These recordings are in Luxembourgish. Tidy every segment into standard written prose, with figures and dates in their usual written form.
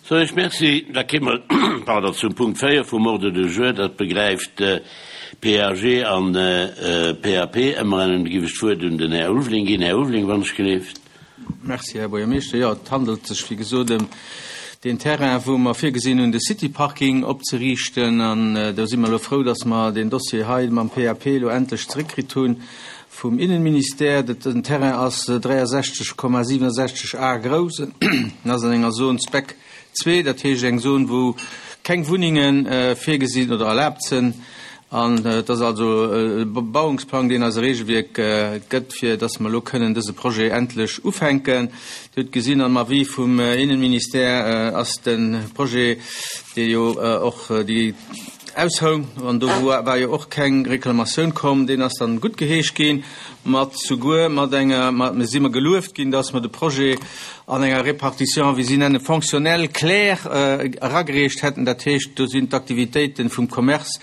Soen ech Merci. Da kéime mer, pardon, zum Punkt 4 vum Ordre du jour. Dat begräift PAG an PAP. Ëmmer giff ech d'Wuert un den Här Ulveling ginn. Här Ulveling, wann ech gelift. Merci, Här Buergermeeschter. Jo, et handelt sech, wéi gesot, ëm deen Terrain, wou mer virgesinn hunn, de City Parking opzeriichten. An do si mer elo frou, dass mer deen Dossier hei mam PAP elo endlech zeréckkritt hu vum Innenministère. Den Terrain ass 63,67 Ar grouss. En ass an enger Zone Spec 2, dat heescht eng Zon, wou keng Wunnenge virgesinn oder erlaabt sinn. An et ass also e Bebauungsplang, deen eis e Regelwierk gëtt, fir dass mer elo kënnen dëse Projet endlech ufänken. Dir hutt gesinn, am Avis vum Innenministère ass de Projet, dee jo och déi aushoung, an do war jo och keng Reklamatioun komm, deen ass dann guttgeheescht ginn, mat souguer mat enger, mat, mir si mer gelueft ginn, dass mer de Projet an enger Répartition, wéi si nennen, fonctionnelle claire eragereecht hätten. Dat heescht, do sinn d'Aktivitéiten vum Commerce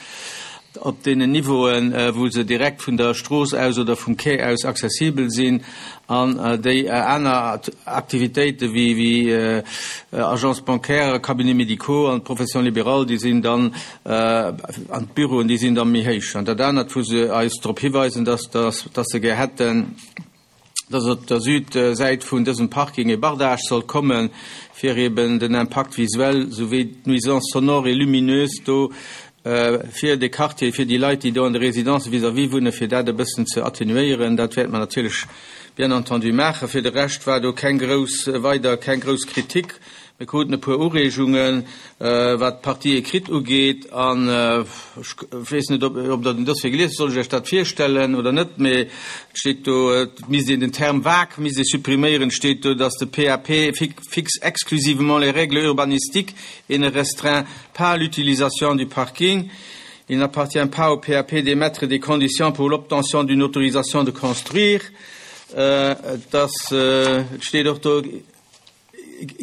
op deenen Niveauen, wou se direkt vun der Strooss aus oder vum Quai aus accessibel sinn, an déi aner Aktivitéiten, wéi Agences bancaires, Cabinets médicaux an d'Professions libérales, déi sinn dann, an d'Büroen, déi sinn da méi héich. An dat anert, wou se eis drop hiweisen, dass se gär hätten, dass op der Südsäit vun dësem Parking e Bardage soll kommen, fir eben den Impact visuel souwéi d'Nuisance sonore et lumineuse do fir de Quartier, fir déi Leit, déi do an de Résidences vis-à-vis wunnen, fir dat e bëssen ze atténuéieren. Dat wäerte mer natierlech bien entendu maachen. Fir de Rescht war do keng grouss, weider keng grouss Kritik. Mir kruten e puer Ureegungen, wat d'Partie écrite ugeet, an ech weess net, ob Der den Dossier gelies hutt, soll ech Iech dat virstellen oder net, mee et steet do, et misst een den Terme vague misst ee suppriméieren, et steet do, dass de PAP fixe exclusivement les règles urbanistiques et ne restreint pas l'utilisation du parking. Il n'appartient pas au PAP d'émettre des conditions pour l'obtention d'une autorisation de construire. Et ass, et steet och do,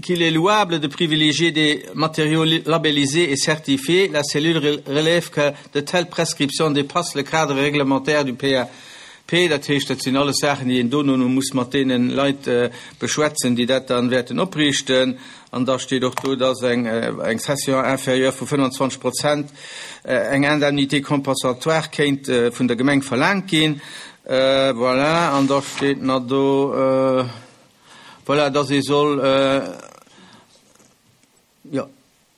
qu'il est louable de privilégier des matériaux labellisés et certifiés, la cellule relève que de telles prescriptions dépassent le cadre réglementaire du PAP. Dat heescht, dat sinn alles Saachen, déi een dono muss mat deene Leit beschwätzen, déi dat dann wäerten opriichten. An da steet och do, dass eng Cession inférieure vu 25 Prozent eng Indemnité compensatoire kéint vun der Gemeng verlaangt ginn. Voilà, an da steet nach do, Voilà, dass ee soll, jo,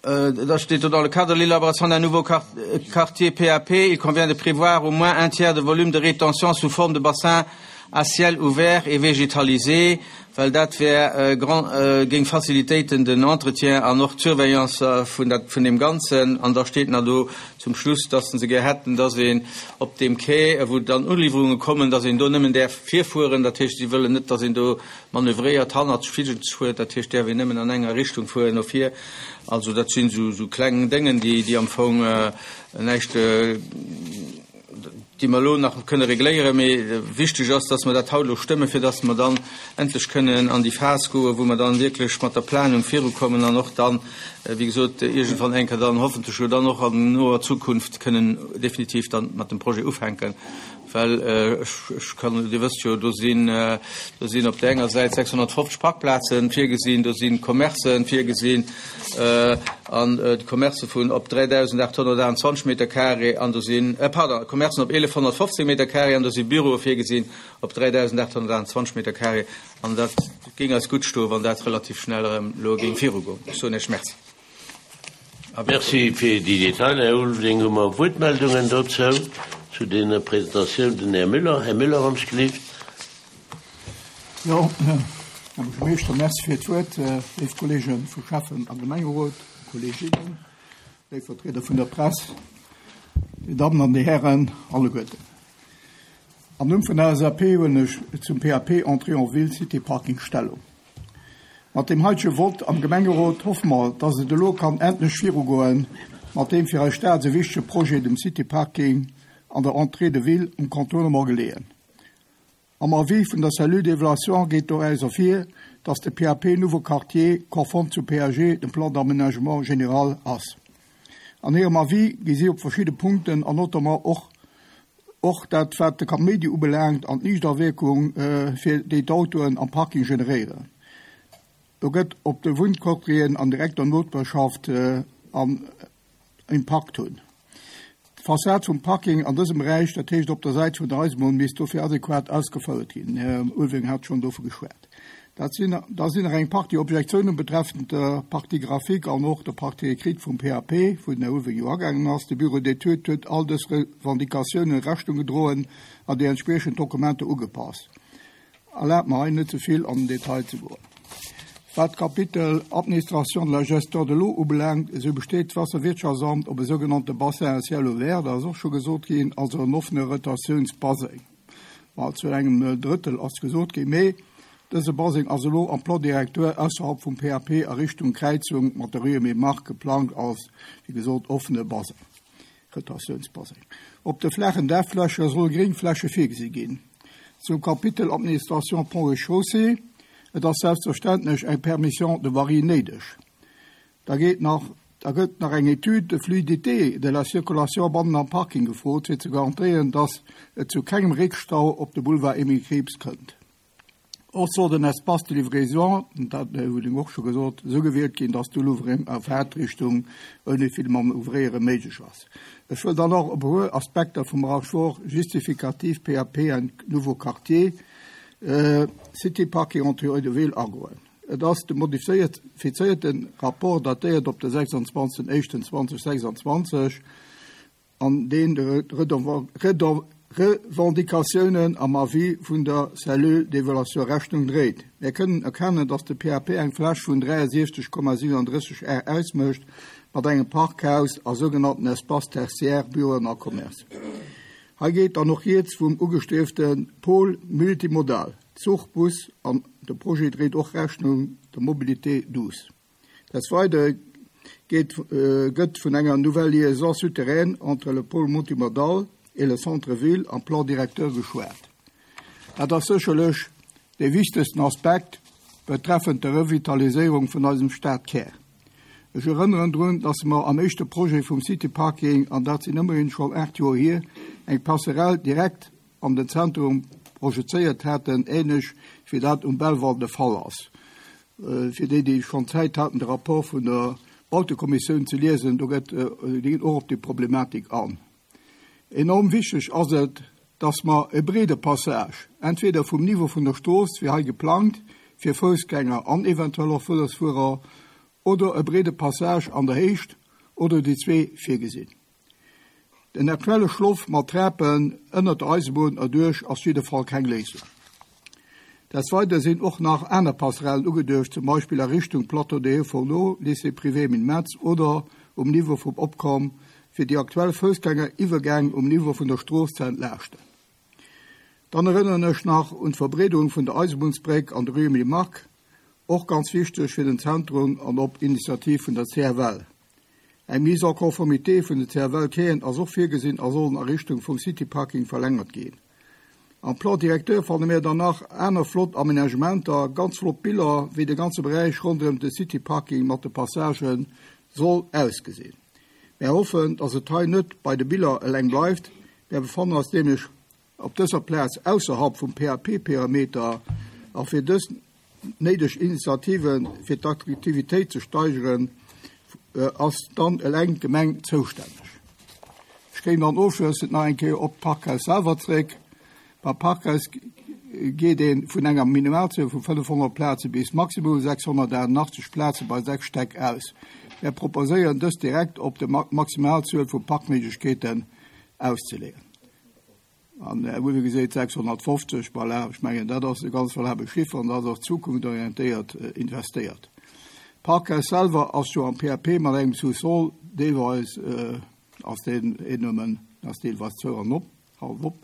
da steet do, dans le cadre de l'élaboration d'un nouveau quartier PAP, il convient de prévoir au moins un tiers de volume de rétention sous forme de bassin à ciel ouvert et végétalisé, well dat wär grand, géing facilitéiten den Entretien an och d'Surveillance vun dat, vun deem Ganzen. An da steet nach do zum Schluss, dass se gär hätten, dass een op deem Quai, wou dann Uliwwerunge kommen, dass een do nëmmen däerf virfueren. Dat heescht, si wëllen net, dass een do manövréiert, hannertsch Figels fuert. Dat heescht, däerf een nëmmen an enger Richtung fueren, no vir. Also dat sinn esou kleng Déngen, déi am Fong näischt, déi mer elo nach kënne regléieren. Mee wichteg ass, dass mer dat haut elo stëmmen, fir dass mer dann endlech kënnen an déi Phas goen, wou mer dann wierklech mat der Planung virukommen an och dann, wéi gesot, iergendwann eng Kéier dann hoffentlech jo dann och an noer Zukunft kënnen definitiv dann mat dem Projet ufänken. Well ech kann, Dir wësst jo, do sinn, do sinn op där enger Säit 650 Parkplaze virgesinn, do si Commercë virgesinn an Commercë vun op 3.828 Meter carré an do sinn, pardon, Commercen op 1.115 Meter carré an do si Büroe virgesinn op 3.828 Meter carré. An dat géing eis gutt stoen, wann dat relativ schnell erëm elo géing virugoen. Ech soen Iech Merci. Merci fir déi Detailer, Här Ulveling. Hu mer Wuertmeldungen dozou, zu deene Presentatioun? Den Här Müller. Här Müller, wann ech gelift. Jo, Här Buergermeeschter, Merci fir d'Wuert. Léif Kollege vu Schäffen a Gemengerot, Kolleginnen, léif Vertrieder vun der Press, Dir Dammen an Dir Hären alleguerten. Am Numm vun der LSAP huelen ech zum PAP Entrée en ville Cité Parking Stellung. Mat deem heitege Vott am Gemengerot hoffe mer, dass et elo kann endlech virugoen mat deem fir eis Stad esou wichtege Projet, dem Cité Parking an der Entrée de ville um Contournement geleeën. Am Avis vun der Cellule d'évaluation geet doraus ervir, dass de PAP Nouveau Quartier konform zum PAG, dem Plan d'aménagement général, ass. An hirem Avis gi si op verschidde Punkten an notamment och och dat wat de Kaméidi ubelaangt an d'Liichtawierkung fir déi d'Autoen am Parking generéieren. Do gëtt op de Wunnquartieren an direkter Noperschaft an Impakt hunn. D'Fassad vum Parking an dësem Beräich, dat heescht op der Säit vun der Eisebunn, misst dofir adequat ausgefouert ginn. Den Här Ulveling hat schonn dovu geschwat. Dat sinn, da sinn nach eng Partie Objektiounen betreffend der Partie graphique an och der Partie écrite vum PAP, wou den Här Ulveling jo agaangen ass. De Bureau d'études huet all dës Revendicatiounen Rechnung gedroen an déi entspriechend Dokumenter ugepasst. Erlaabt mer hei net ze vill an den Detail ze goen. Wat d'Kapitel Administration de la gestion de l'eau ubelaangt, esou besteet d'Waasserwirtschaftsamt op e sougenannte Bassin à ciel ouvert, dat ass och scho gesot ginn, also en offene Retentiounsbaseng. Ma zu engem Drëttel ass gesot ginn. Mee dëse Baseng ass elo am Plan directeur ausserhalb vum PAP a Richtung Kräizung mat der Rue Aimé Margue geplangt als, wéi gesot, offene Baseng. Rotatiounsbaseng. Op de flaachen Daachfläche solle Gréngfläche virgesi ginn. Zum Kapitel Administration Ponts et Chaussées, Et ass selbstverständlech eng Permission de voirie néideg. Da geet nach, da gëtt nach eng Étude de fluidité de la circulation bannen am Parking gefrot, fir ze garantéieren, dass et zu kengem Réckstau op de Boulevard Emile Krieps kënnt. Och soll den Espace de livraison, dat huet den Här Ulveling och scho gesot, esou gewielt ginn, dass d'Uluwwereng a Faartrichtung ouni vill Manövréiere méiglech ass. Ech wëll dann och op e puer Aspekter vum Rapport justificatif PAP and nouveaux quartiers, City Parking entre rue de Ville agoen. Et ass de modifizéierte Rapport, datéiert op de 26 éischten 2026, an deen de Revendicatiounen am Avis vun der Cellule d'évaluation Rechnung dréit. Mär kënnen erkennen, dass de PAP eng Fläch vun 63,37 Ar ausmécht, mat engem Parkhaus a sougenannten Espaces tertiaires, Büroen a Commerce. Hei geet dann och rieds vum ugestriefte Pôle multimodal, Zuch, Bus, an de Projet dréit och Rechnung der Mobilité douce. Des Weidere geet gëtt vun enger nouvelle liaison souterraine entre le pôle multimodal et le centre-ville am Plan directeur geschwat. Dat ass sécherlech dee wichtegsten Aspekt betreffend der Revitaliséierung vun eisem Stadkär. Ech erënneren drun, dass mer am éischte Projet vum City Parking, an dat sinn ëmmerhin schonn 8 Joer hier, eng Passerelle direkt an den Zentrum projezéiert haten, ähnlech wéi dat um Belval de Fall ass. Fir déi, déi schonn Zäit haten, de Rapport vun der Bautekommissioun ze liesen, do gëtt, déi ginn och op déi Problematik an. Enorm wichteg ass et, dass mer e breede Passage, entweder vum Niveau vun der Strooss, wéi hei geplangt, fir Foussgänger an eventuell och Vëlosfuerer, oder e breede Passage an der Héicht, oder déi zwee virgesinn. Den aktuelle Schloff mat Trapen ënnert der Eisebunn erduerch ass jidde Fall keng Léisung. Des Weidere sinn och nach aner Passerellen ugeduecht, zum Beispill a Richtung Plateau de Hauts-Fourneaux, Lycée privé Emile Metz oder um Niveau vum Opkomm, fir déi aktuell Foussgängeriwwergäng um Niveau vun der Strooss ze entlaaschten. Dann erënneren ech nach un d'Verbreederung vun der Eisebunnsbréck an der Rue Emile Mark, och ganz wichteg fir den Zentrum an op Initiativ vun der CFL. Eng Mise en conformité vun den CFL-Quaien ass och virgesinn a sollen a Richtung vum City Parking verlängert ginn. Am Plan directeur fanne mir dann nach aner flott Aménagementer, ganz flott Biller, wéi de ganze Beräich ronderëm de City Parking mat de Passagen soll ausgesinn. Mär hoffen, dass et hei net bei de Biller eleng bleift. Mär befannen eis nämlech op dëser Plaz ausserhalb vum PAP-Perimeter a fir dës néideg Initiative fir d'Attraktivitéit ze steigeren, ass dann eleng d'Gemeng zoustänneg. Ech kéim dann ofschlëssend nach eng Kéier op d'Parkhaus selwer zréck. Beim Parkhaus geet ee vun enger Minimalzuel vu 500 Plaze bis maximum 688 Plaze bei 6 Stäck aus. Mär proposéieren, dës direkt op de Maximalzuel vu Parkméiglechkeeten auszeleeën. An Här Uwe geséit 650, voilà, ech mengen, dat ass e ganz valabel Chiffer an dat ass och zukunftorientéiert investéiert. D'Parkhaus selwer ass jo am PAP mat engem Sous-sol, deelweis ass deen een nëmmen, ass deelweis zou an op, hallef op,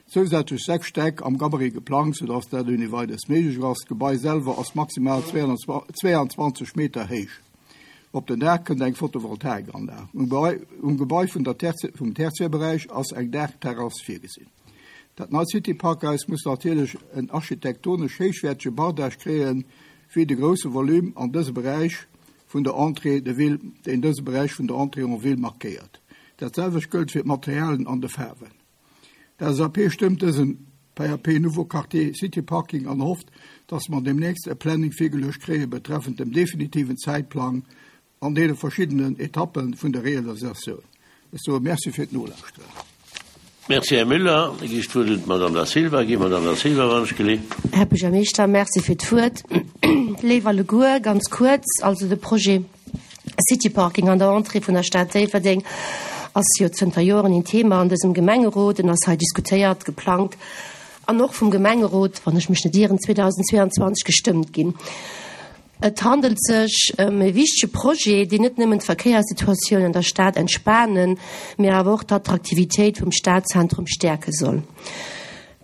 zousätzlech 6 Stäck am Gabarit geplangt, soudass dat ouni Weideres méiglech ass. D'Gebai selwer ass maximal 22 Meter héich. Op den Daach kënnt eng Photovoltaikanlag. Um Gebai vun der vum Tertiärberäich ass eng Daachterrass virgesinn. Dat neit City Parkhaus muss natierlech en architektonesch héichwäertege Bardage kréien, wéi de grousse Volume an dëse Beräich vun der Entrée de ville, deen dëse Beräich vun der Entrée en ville markéiert. Dat selwecht gëllt fir d'Materialien an de Faarwen. D'LSAP stëmmt dësen. PAP Nouveau Quartier City Parking an hofft, dass mer deemnächst e Planning virgeluecht kréie betreffend dem definitiven Zäitplang an deene verschiddenen Etappe vun der Realisatioun. Ech soe Merci fir d'Nolauschteren. Merci, Här Müller. Da gi ech d'Wuert un d'Madame Da Silva. Gi, Madame Da Silva, wann ech geleet. Här Buergermeeschter, Merci fir d'Wuert. Léif alleguer, ganz kuerz, also de Projet City Parking an der Entrée vun der Stad Déifferdeng ass jo zënter Joren een Thema an dësem Gemengerot. En ass hei diskutéiert, geplangt an och vum Gemengerot, wann ech mech net ieren, 2022 gestëmmt ginn. Et handelt sech ëm e wichtege Projet, deen net nëmmen d'Verkéierssituatioun an der Stad entspanen, mee awer och d'Attraktivitéit vum Stadzentrum stäerke soll.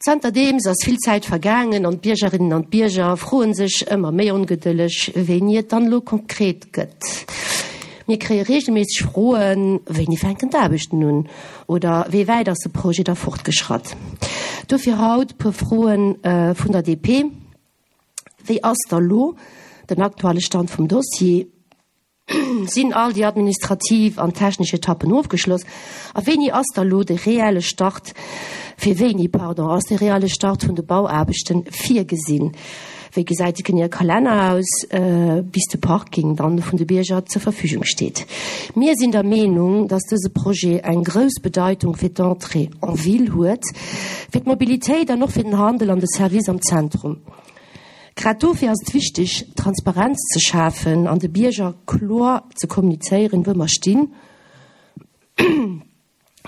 Zanterdeems ass vill Zäit vergaangen an d'Biergerinnen an d'Bierger froe sech ëmmer méi ongedëlleg, wéini et dann elo konkret gëtt. Mir kréie reegelméisseg Froen, Wéini fänken d'Aarbechten un? oder Wéi wäit ass de Projet da fortgeschratt? Dofir haut puer Froe vun der DP. Wéi ass da lo den aktuelle Stand vum Dossier? Sinn all déi administrativ an technesch Etappen ofgeschloss? A wéini ass da lo de reelle Start, fir wéini, pardon, ass de reelle Start vun de Bauaarbechten virgesinn? Wéi gesäit de geneeë Kalenner aus, bis de Parking dann vun de Bierger zur Verfügung steet? Mir sinn der Meenung, dass dëse Projet eng grouss Bedeitung fir d'Entrée en ville huet, fir d'Mobilitéit an och fir den Handel an de Service am Zentrum. Grad dofir ass et wichteg, Transparenz ze schafen an de Bierger kloer ze kommunizéieren, wou mer stinn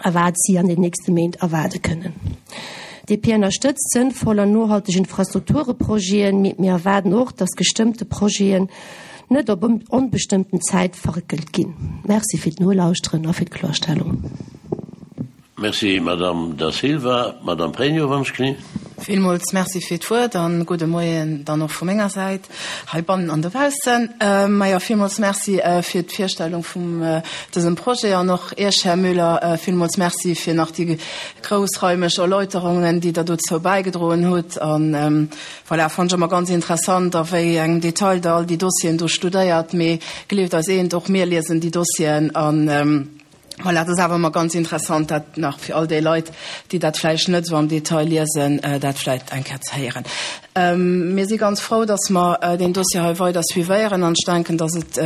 a wat si an den nächste Méint erwaarde kënnen. DP ënnerstëtzt sënnvoll an nohalteg Infrastruktureprojeten, mee mir erwaarden och, dass gestëmmte Projeten net op onbestëmmten Zäit verréckelt ginn. Merci fir d'Nolauschteren a fir d'Klorstellung. Merci, Madamm Da Silva. Madamm Pregno, wann ech kni. Villmools Merci fir d'Wuert an gudde Moien dann och vu menger Säit heibannen an dobaussen. Majo, villmools Merci fir d'Virstellung vum dësem Projet an och Iech, Här Müller, villmools Merci fir nach déi groussraimeg Erläuterungen, déi Der dozou bäigedroen hutt. An voilà, fannen ech ëmmer ganz interessant, a wéi engem Detail Der all déi Dossieren do studéiert. Mee gleeft eis eent, och mir liesen déi Dossieren an, Voilà, dat ass awer ëmmer ganz interessant, dat nach fir all déi Leit, déi dat vläicht net esou am Detail liesen, dat vläicht eng Kéier ze héieren. Mir si ganz frou, dass mer deen Dossier hei weider suivéieren an ech denken, dass et,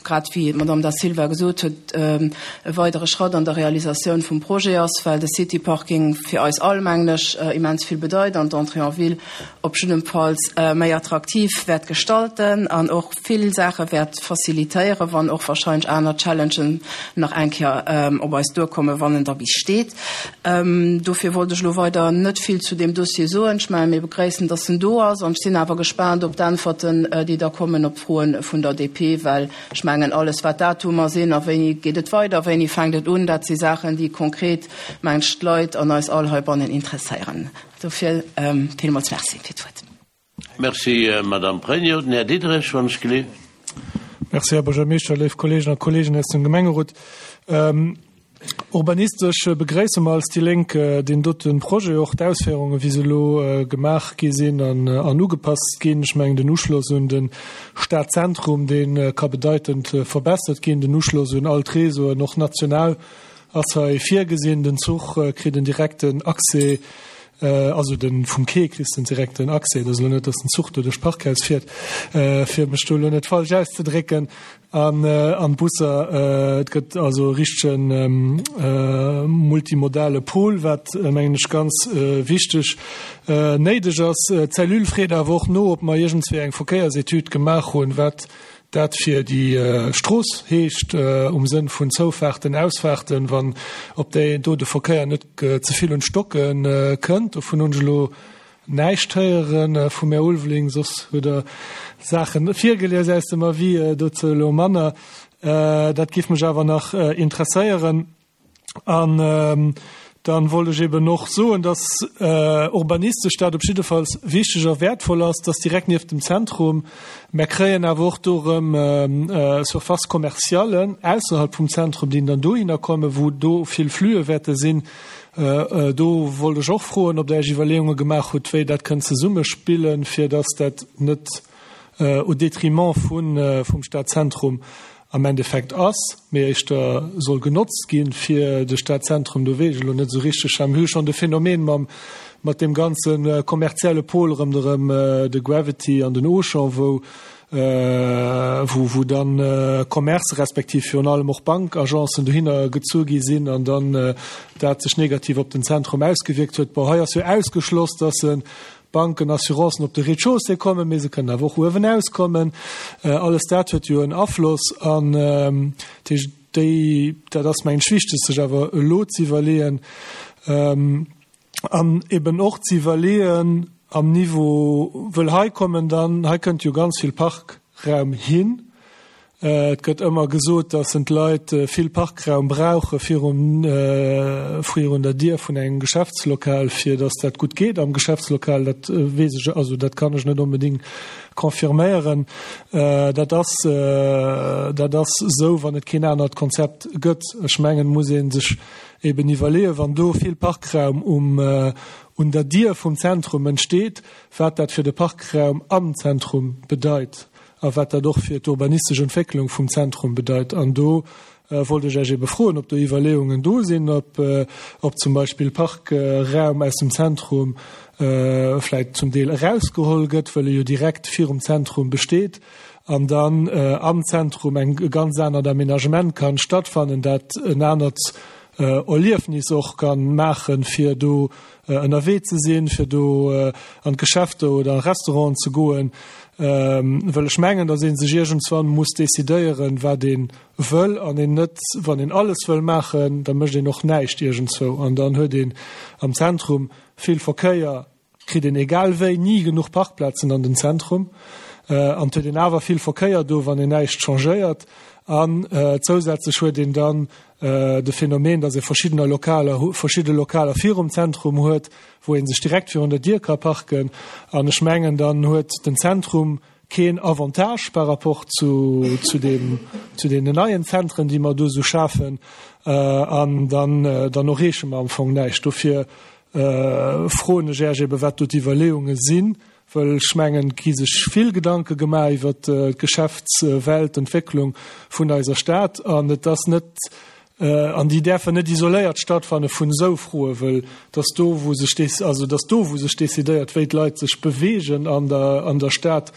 grad wéi d'Madame Da Silva gesot huet, e weidere Schratt an der Realisatioun vum Projet ass, well de City Parking fir eis all, mengen ech, immens vill bedeit an d'Entrée en ville op jiddemfalls méi attraktiv wäert gestalten an och vill Saache wäert facilitéieren, wann och wahrscheinlech aner Challengen nach eng Kéier op eis duerkommen, wann en da bis steet. Dofir wollt ech elo weider net vill zu deem Dossier soen. Ech mengen, mir begréissen, dass en do ass, an ech sinn awer gespaant op d'Äntwerten, déi da kommen op d'Froen vun der DP, well ech mengen, alles wat Datumer sinn a wéini geet et weider, wéini fänkt et un, dat si Saachen, déi konkret, mengen ech, d'Leit an eis all heibannen interesséieren. Dofir villmools Merci fir d'Wuert. Merci, Madame Pregno. Den Här Diderich, wann ech geleeft. Merci, Här Buergermeeschter, léif Kolleegen a Kolleegen aus dem Gemengerot. Urbanistesch begréisse mer als déi Lénk deen dote Projet, och d'Ausféierungen, wéi se elo gemaach gi sinn an ugepasst ginn. Ech mengen, den Uschloss un de Stadzentrum, dee ka bedeitend verbessert ginn, den Uschloss un all d'Réseauen, och national, ass hei virgesinn. Den Zuch kritt en direkten Accès Also den vum Quai kriss den direkten Accès. Et ass elo net, datt den Zuch do duerch d'Parkhaus fiert, fir mech do elo net falsch auszedrécken. An an d'Busser, et gëtt also e richtege multimodale Pool, wat mengen ech ganz wichteg néideg ass. D'Cellule freet awer och no, ob mer iergendswéi eng Verkéiersetüd gemaach hunn, wat dat fir déi Strooss heescht um Sënn vun Zoufaarten, Ausfaarten, wann op déi do de Verkéier net ze vill un d'Stocke kënnt. Dovun hunn ech elo näischt héiere vum Här Ulveling, soss huet Der Saache virgelies aus dem Avis, dozou elo manner. Dat géif mech awer nach interesséieren. An dann wollt ech eben och soen, dass urbanistesch dat op jiddefalls wichteg a wäertvoll ass, dass direkt nieft dem Zentrum, mer kréien awer och do erëm Surfaces commerciales ausserhalb vum Zentrum, déi dann dohinner kommen, wou do vill Flüe wäerte sinn. Do wollt ech och froen, ob Der Iech Iwwerleeunge gemaach hutt, wéi dat kënnt zesummespillen, fir dass dat net au détriment vum Stadzentrum am Endeffekt ass, mee éischter soll genotzt ginn, fir de Stadzentrum, do weess ech elo net esou richteg, mir hu schonn de Phänomen mam. mat deem ganze kommerzielle Pol ronderëm de Gravity an den Auchan, wou wou wou dann Commercë respektiv virun allem och Bankagencen dohinner gezu gi sinn an dann dat sech negativ op den Zentrum ausgewierkt huet. Bon, hei ass jo ausgeschloss, dass se Banken, Assurancen op de Rez-de-chaussée kommen, mee se kënnen awer och uewenaus kommen. Alles dat huet jo en Afloss an dat heescht, déi, dat ass mengen ech wichteg sech awer elo ze iwwerleeën an eben och ze iwwerleeën am Niveau, wëll hei kommen dann, hei kënnt jo ganz vill Parkraum hin. Et gëtt ëmmer gesot, dass en d'Leit vill Parkraum brauche virum, virun der Dier vun engem Geschäftslokal, fir dass dat gutt geet am Geschäftslokal. Dat weess ech, also dat kann ech net onbedéngt confirméieren. Dat ass, dat ass esou, wann et keen anert Konzept gëtt. Ech mengen, et muss ee sech eben iwwerleeën, wann do vill Parkraum um, un der Dier vum Zentrum entsteet, wat dat fir de Parkraum am Zentrum bedeit. a wat dat och fir d'urbanistesch Entwécklung vum Zentrum bedeit. An do wollt ech Iech ebe froen, ob do Iwwerleeungen do sinn, ob, ob zum Beispill Parkraum aus dem Zentrum vläicht zum Deel erausgeholl gëtt, wëll e jo direkt virum Zentrum besteet, an dann am Zentrum eng, e ganz anert Aménagement kann stattfannen, dat en anert Erliefnis och kann maachen, fir do ënnerwee ze sinn, fir do an d'Geschäfter oder a Restauranten ze goen, wëll ech mengen, datt ee sech iergendswann muss decidéieren, wat ee wëll an een net, wann een alles wëll maachen, da mécht een och näischt iergendzwou an dann huet een am Zentrum vill Verkéier. Kritt een egal wéi ni genuch Parkplazen an den Zentrum an et huet een awer vill Verkéier do, wann een näischt changéiert. An zousätzlech huet een dann de Phänomen, datt ee verschiddener Lokaler, verschidde Lokaler virum Zentrum huet, wou ee sech direkt virun der Dier ka parken. An ech mengen, dann huet den Zentrum keen Avantage par rapport zu, zu deem, zu deenen neien Zentren, déi mer do esou schafen. An dann, dann erreeche mer am Fong näischt. Dofir froen ech Äech ebe wat do d'Iwwerleeunge sinn, wëll ech mengen, et gi sech vill Gedanke gemaach iwwert d'Geschäftswelt, d'Entwécklung vun eiser Stad an et ass net, an déi däerfen net isoléiert stattfanne vun esou Froen, wëll et ass do wou sech, also et ass do wou sech decidéiert, wéi d'Leit sech beweegen an der, an der Stad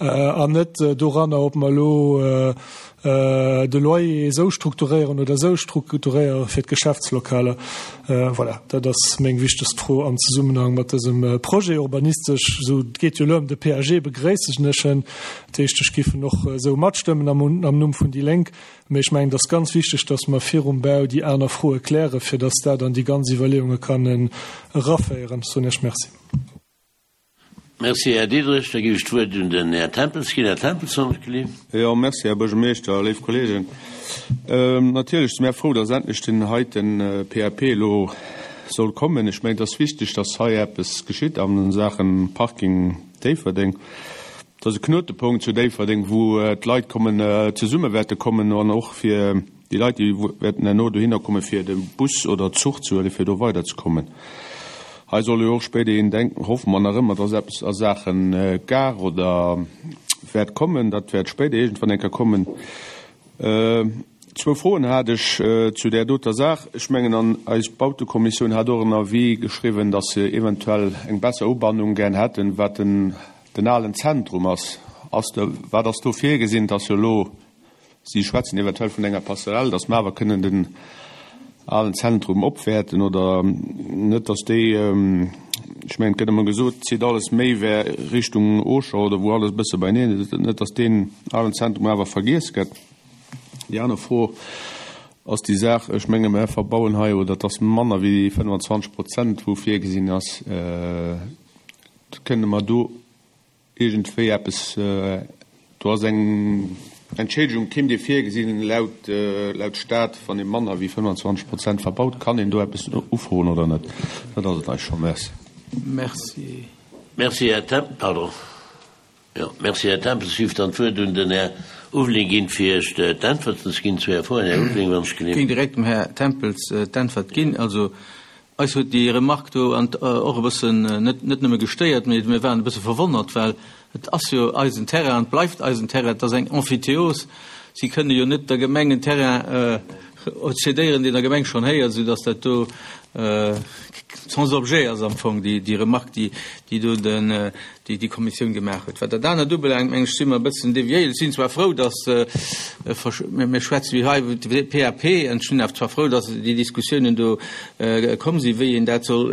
an net doranner, ob mer elo de Loyer esou strukturéieren oder esou strukturéiere fir d'Geschäftslokaler. Voilà, dat ass meng wichtegst Fro am Zesummenhang mat dësem Projet. Urbanistesch, esou, et geet jo elo ëm de PAG, begréissen ech en. Dat heescht, ech géif en och esou matstëmmen am Numm vun déi Lénk. Mee ech mengen, et ass ganz wichteg, dass mer virum Bau déi aner Froe klären, fir dass dat an déi ganz Iwwerleeunge kann eraféieren. Ech soen Iech Merci. Merci, Här Diderich. Da ginn ech d'Wuert un den Här Tempels ginn. Här Tempels, wann ech gelift. Jo, merci, Här Buergermeeschter, léif Kolleegen. Natierlech si mär frou, dass endlech deen heiten PAP elo soll kommen. Ech mengen, et ass wichteg, dass hei eppes geschitt a Saache Parking Déifferdeng. Et ass e Knotepunkt zu Déifferdeng, wou d'Leit kommen, zesumme wäerte kommen an och fir Déi Leit, déi wäerten herno dohinner kommen, fir de Bus oder Zuch ze huelen, fir do weiderzekommen. Hei soll jo och spéiderhin, denken, hoffe mer nach ëmmer, dass eppes a Saache Gare oder wäert kommen. Dat wäert spéider iergendwann eng Kéier kommen. Zwou Froen hat ech zu där doter Saach. Ech mengen, an eis Bautekommissioun hat och en Avis geschriwwen, dass se eventuell eng besser Ubannung gär hätten, wat den alen Zentrum ass. Ass do, wat ass do virgesinn? Et ass jo elo Si schwätzen eventuell vun enger Passerelle, datt mer awer kënnen den alen Zentrum opwäerten oder net, datt déi, ech mengen, et gëtt ëmmer gesot, et zitt alles méi wär Richtung Auchan oder wou alles e bësse beineen ass, net datt deen alen Zentrum awer vergiess gëtt. Déi aner Fro ass déi Saach, ech menge mer verbauen hei oder et ass manner wéi 25 Prozent wou virgesinn ass, kënne mer do Iergendwéi eppes, do ass eng Entschädigung, kéim Dir virgesinn laut laut Staat, wann ee manner wéi 25 Prozent verbaut, kann een do eppes ufroen oder net? Dat ass et eis scho. Merci. Merci. Merci, Här Tem-, pardon, jo, merci, Här Tempels. Ech géif dann d'Wuert un den Här Ulveling ginn, fir Iech d'Äntwerten ze ginn zu Är Froen. Här Ulveling, wann ech Géing direkt dem Här Tempels d'Äntwert ginn. Also Eis huet déi Remarque do och e bëssen, net nëmme gestéiert, mee mir waren e bësse verwonnert, well et ass jo eisen Terrain an et bleift eisen Terrain. Et ass eng Emphytéose. Si kënne jo net der Gemeng en Terrain. cédéieren, deen der Gemeng schonn héiert, soudass dat do sans objet ass am Fong, déi Remarque, déi do déi Kommissioun gemaach huet. Wat dat anert ubelaangt, meng ech, si mer e bëssen deviéiert. Ech sinn zwar frou, dass, mir schwätze jo hei iwwer de PAP, an ech sinn awer zwar frou, dass déi Diskussiounen do komm sinn, wéi een dat soll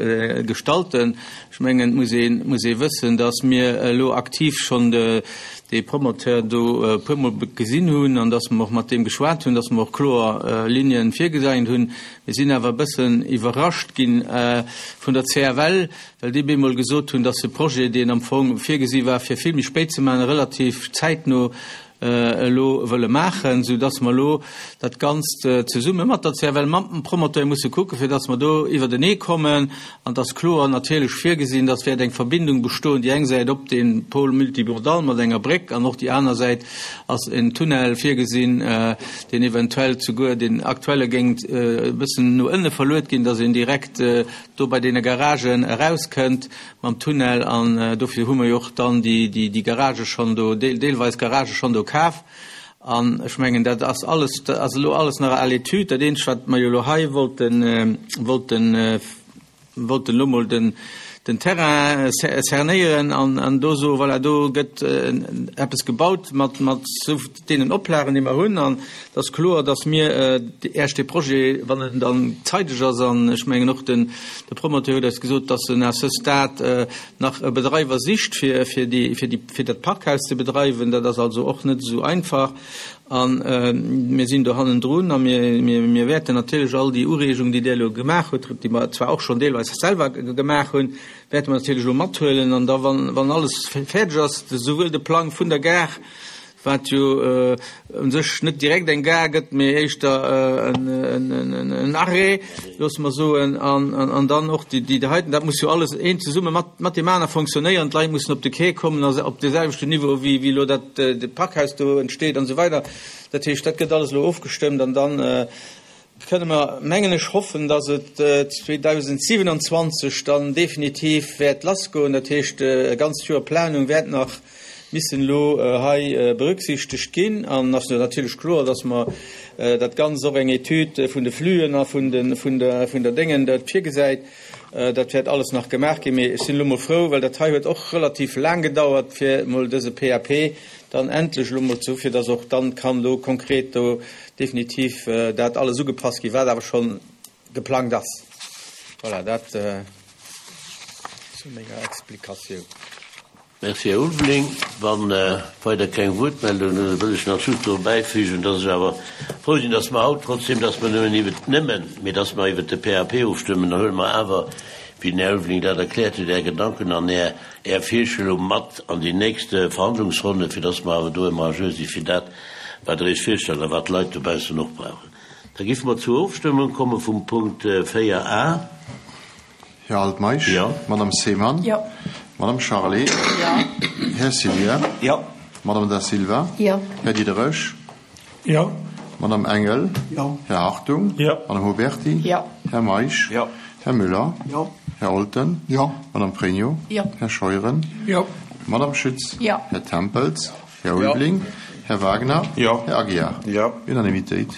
gestalten. Ech mengen, et muss ee, muss ee wëssen, dass mir elo aktiv schonn dee Promoteur do e puermol gesinn hunn an dass mer och mat deem geschwat hunn, dass mer och kloer Linien virgesäin hunn. Mir sinn awer e bëssen iwwerrascht gi vun der CFL, well déi bemol gesot hunn, dass de Projet, deen am Fong virgesi war, fir vill méi spéit ze maachen, relativ zäitno elo wëlle maachen, soudass mer elo dat Ganzt zesumme mat der CFL, mam Promoteur musse kucken, fir dass mer do iwwertenee kommen. An et ass kloer natierlech virgesinn, dass wäert eng Verbindung bestoen, déi eng Säit op de Pôle multimodal mat enger Bréck an och déi aner Säit ass en Tunnel virgesinn, deen eventuell souguer deen aktuelle géing e bëssen no ënne verluet ginn, dass een direkt do bei deene Garagen erauskënnt mam Tunnel an dofir hu mer jo och dann déi Garagë schonn do, deelweis Garagë schonn do kaf. An ech mengen, dat ass alles, dat ass elo alles nach à l'étude. Dat eenzegt, wat mer jo elo hei wollten, wollten, wollten elo mol den, den Terrain cernéieren an do soen, voilà, do gëtt eppes gebaut mat, mat esou deenen Oplagen, déi mer hunn. An et ass kloer, datt mir Äech dee Projet, wann en dann zeideg ass, an ech mengen och den de Promoteur huet eis gesot, datt en à ce stade nach e Bedreiwer sicht, fir fir déi fir déi fir dat Parkhaus ze bedreiwen. Dat ass also och net esou einfach. A mir sinn do hannendrun a mir mir mir wäerten natierlech all déi Ureegungen, déi Dir elo gemaach hutt, déi mer zwar och schonn deelweis selwer gemaach hunn, wäerte mer natierlech elo mathuelen. An da wann wann alles fäerdeg ass, souwuel de Plang vun der Gare, wat jo u sech net direkt eng Gare gëtt, mee éischter en Arrêt, loosse mer soen, an dann och déi heiten, dat muss jo alles eent zesumme mat deem aner fonctionnéieren, d'Leit mussen op de Quai kommen a op dee selwechten Niveau wéi elo dat Parkhaus do entsteet an esou weider. Dat heescht, dat gëtt alles elo ofgestëmmt an dann kënne mer, mengen ech, hoffen, dass et 2027 dann definitiv wäert lassgoen. Dat heescht, e ganzt Joer Planung wäert nach missen elo hei berücksichtegt ginn. An ass natierlech kloer, dass mer dat Ganzt och eng Etüd vun de Flüen a vun der Déngen dat virgesäit. Dat wäert alles nach gemaach ginn. Mee ech sinn elo mol frou, well dat hei huet och relativ laang gedauert, fir emol dëse PAP dann endlech elo mol ze hu fir dass och dann kann do konkret do definitiv dat alles ugepasst ginn, wat awer schonn geplangt ass. Voilà, dat zu menger Explikatioun. Merci, Här Ulveling. Wa weider keng Wuertmeldungen sinn, wëll ech nach just do bäifügen, dass ech awer frou sinn, dass mer haut, trotzdem dass mer nëmmen iwwert, nëmmen, mee dass mer iwwert de PAP ofstëmmen, da huele mer awer, wéi den Här Ulveling dat erkläert huet, Är Gedanken an Är, Är Virstellung mat an déi nächst Verhandlungsronne, fir dass mer awer do ëmmer à jour si fir dat, wat Der Iech virstellt a wat d'Leit dobaussen och brauchen. Da géife mer zur Ofstëmmung komme vum Punkt 4 a. Här Altmeisch? Jo. Madame Seemann? Jo. Madame Charlé? Jo. Här Cilier? Jo. Madame Da Silva? Jo. Här Diderich? Jo. Madame Engel? Jo. Här Hartung? Jo. Madame Huberty? Jo. Här Meisch? Jo. Här Müller? Jo. Här Olten? Jo. Madame Pregno? Jo. Här Scheuren? Jo. Madame Schütz? Jo. Här Tempels? Här Ulveling? Här Wagner? Jo. Här Aguiar? Jo. Unanimitéit.